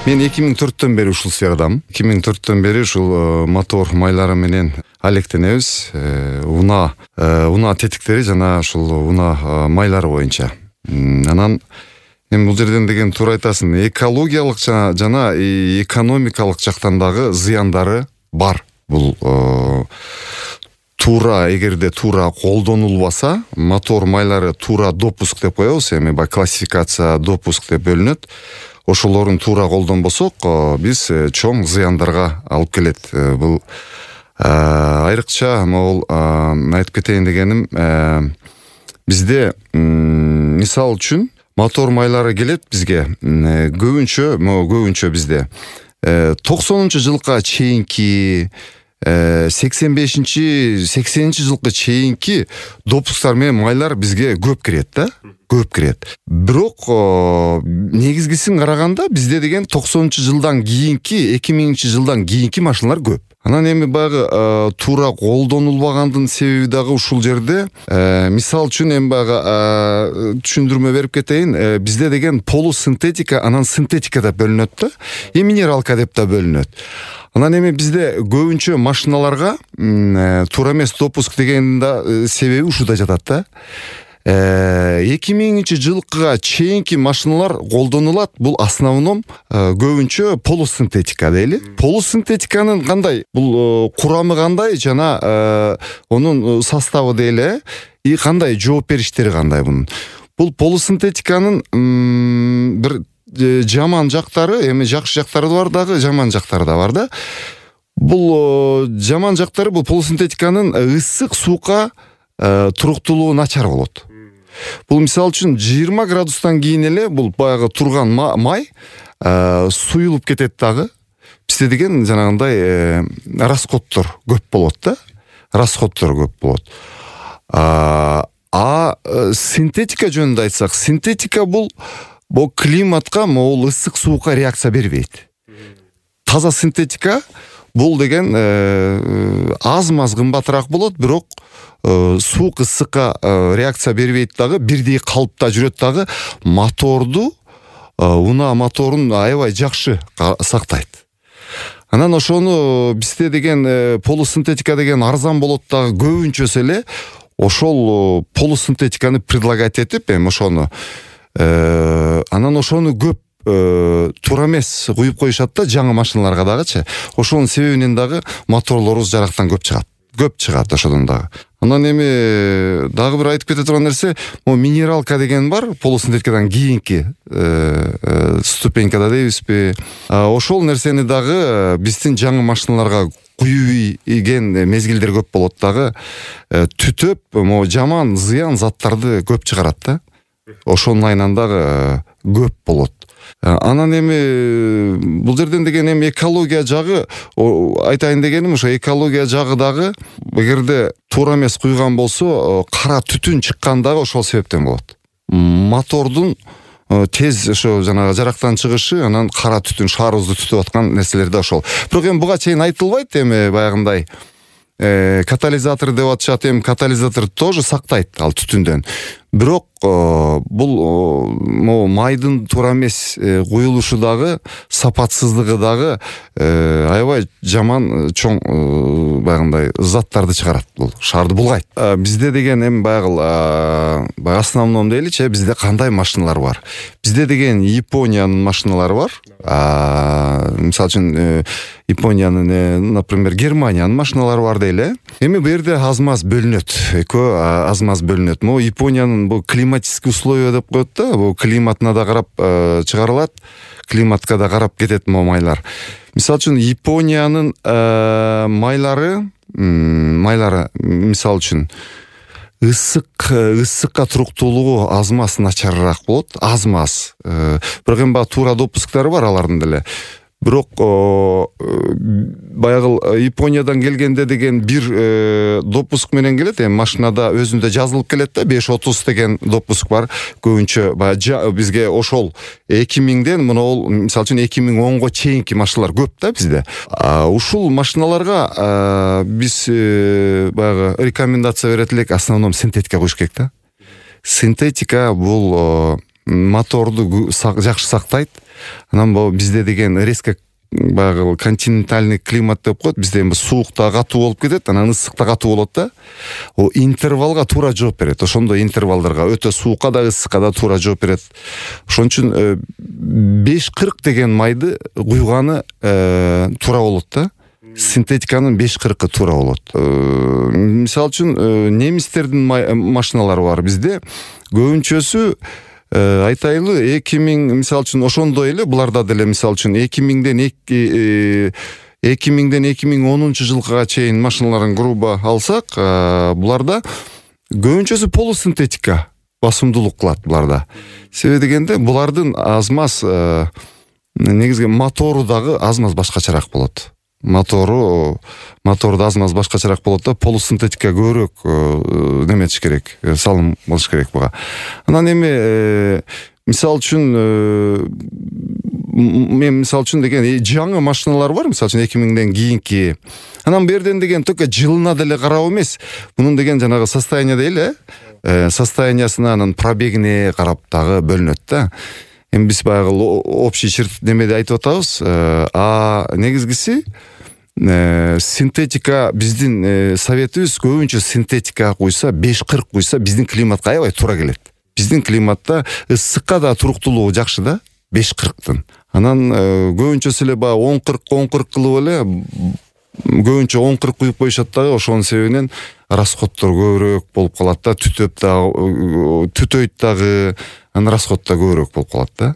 Мен 2004-төн бери ушул сферадамын. 2004-төн бери ушул мотор майлары менен алектенебиз. Унаа тетиктери жана ушул унаа майлары боюнча. Анан эми бул жерден деген туура айтасың, экологиялык жана экономикалык жактан дагы зыяндары бар. Бул эгерде туура колдонулбаса, мотор майлары туура допуск деп коебуз, эми баягы классификация допуск деп бөлүнөт. Ошолорун туура колдонбосок, биз чоң зыяндарга алып келет. Бул айрыкча могул айтып кетейин дегеним, бизде мисал үчүн мотор майлары келет бизге көбүнчө бизде 90-жылга чейинки 85-80 жылга чейинки допускар менен майлар бизге көп кирет да. Көп кирет. Бирок негизгисин караганда бизде деген 90-жылдан кийинки, 2000-жылдан кийинки машиналар көп. Анан эми баягы туура колдонулбагандын себеби дагы ушул жерде. Мисал үчүн эми баягы түшүндүрмө берип кетейин. Бизде деген полусинтетика, анан синтетика деп бөлүнөт да. Минералка деп да бөлүнөт. Анан эми бизде көбүнчө машиналарга туура эмес допуск деген да себеби ушуда жатат да. 2000-жылга чейинки машиналар колдонулат. Бул основном көбүнчө полусинтетика дейли. Полусинтетиканын кандай? Бул курамы кандай жана онун составы дейли, и кандай жооп бериштери кандай бунун. Бул полусинтетиканын бир жаман жактары, эми жакшы жактары да бар дагы, жаман жактары да бар да. Бул жаман жактары, бул полусинтетиканын ысык суукка туруктуулугу начар болот. Бул мисал үчүн 20 градустан кийин эле бул баягы турган май суюлуп кетет дагы. Бизде деген жанагындай расходдор көп болот да. Расходдор көп болот. Синтетика жөнүндө айтсак, синтетика бул климатка, могул ысык суукка реакция бербейт. Таза синтетика бул деген аз-маз кымбатыраак болот, бирок суук ысыкка реакция бербейт дагы, бирдей калыпта жүрөт дагы, моторду, унаа моторун аябай жакшы сактайт. Анан ошону бизде деген полусинтетика деген арзан болот дагы, көбүнчөсү эле ошол полусинтетиканы предлагать этип, эми ошону анан ошону көп туура эмес куюп коюшат да жаңы машиналарга дагычы. Ошонун себебинен дагы моторлорубуз жарактан көп чыгат ошодон дагы. Анан эми дагы бир айтып кете турган нерсе, минералка деген бар, полусинтетикадан кийинки ступенькада дейбизби. Ошол нерсени дагы биздин жаңы машиналарга куюйген мезгилдер көп болот дагы, түтөп, жаман зыян заттарды көп чыгарат да. Ошонун айынан дагы көп болот. Анан эми бул жерден деген эми экология жагы айтайын дегеним, ошо экология жагы дагы эгерде туура эмес куйган болсо, кара түтүн чыккан дагы ошол себептен болот. Мотордун тез ошо жанагы жарактан чыгышы, анан кара түтүн шаарыбызды түтүп аткан нерселер да ошол. Бирок эми буга чейин айтылбайт, эми баягындай катализатор деп атышат, эми катализатор тоже сактайт ал түтүндөн. Бирок бул майдын туура эмес куюлушу дагы, сапатсыздыгы дагы аябай жаман чоң баягындай заттарды чыгарат, бул шаарды булгайт. Бизде деген эми баягы основном дейличи, бизде кандай машиналар бар? Бизде деген Япониянын машиналары бар. Мисалы үчүн Япониянын, например, Германиянын машиналары бар дейли. Эми бу жерде аз-маз бөлүнөт. Аз-маз бөлүнөт. Япониянын бу климатический условия деп коет да, бу климатына да карап чыгарылат, климатка да карап кетет майлар. Мисалы үчүн Япониянын майлары мисалы үчүн ысыкка туруктуулугу аз-маз начарыраак болот, аз-маз. Бирок эми туура допусктары бар алардын деле. Бирок баягы Япониядан келгенде деген бир допуск менен келет. Эми машинада өзүндө жазылып келет да, 530 деген допуск бар. Көбүнчө бизге ошол 2000ден мына мисалы үчүн 2010го чейинки машиналар көп да бизде. Ушул машиналарга биз баягы рекомендация берет элек, основном синтетика коюш керек да. Синтетика бул моторду жакшы сактайт. Анан бизде деген резко баягы континентальный климат деп коет. Бизде суукта катуу болуп кетет, анан ысыкта катуу болот да. Интервалга туура жооп берет. Ошондой интервалдарга өтө суукка да ысыкка да туура жооп берет. Ошон үчүн 540 деген майды куйганы туура болот да. Синтетиканын 540 туура болот. Мисалы үчүн немистердин машиналары бар. Бизде көбүнчөсү айтайлы 2000 мисалы үчүн ошондой эле буларда деле мисалы үчүн 2000ден 2010 жылга чейин машиналарын грубо алсак, буларда көбүнчөсү полусинтетика басымдуулук кылат буларда. Себеби дегенде булардын аз-маз негизги мотору дагы аз-маз башкачараак болот. Моторду аз-маз башкачараак болот да, полусинтетика көбүрөөк неметиш керек, салым болуш керек буга. Анан эми мисалы үчүн мен мисалы үчүн деген жаңы машиналар бар, мисалы үчүн 2000ден кийинки. Анан бу жерден деген только жылына деле карап эмес, мунун деген жанагы состояние дейли, состояниясына, анан пробегине карап дагы бөлүнөт да. Эми биз баягы общий черт немеде айтып атабыз. Негизгиси синтетика, биздин советибиз көбүнчө синтетика куйса, 540 куйса биздин климатка аябай туура келет. Биздин климатта ысыкка да туруктуулугу жакшы да, 540тын. Анан көбүнчөсү эле баягы 10-40 кылып эле көбүнчө 10-40 куюп коюшат дагы, ошонун себебинен расходдор көбүрөөк болуп калат да, түтөйт дагы, анан расход да көбүрөөк болуп калат да.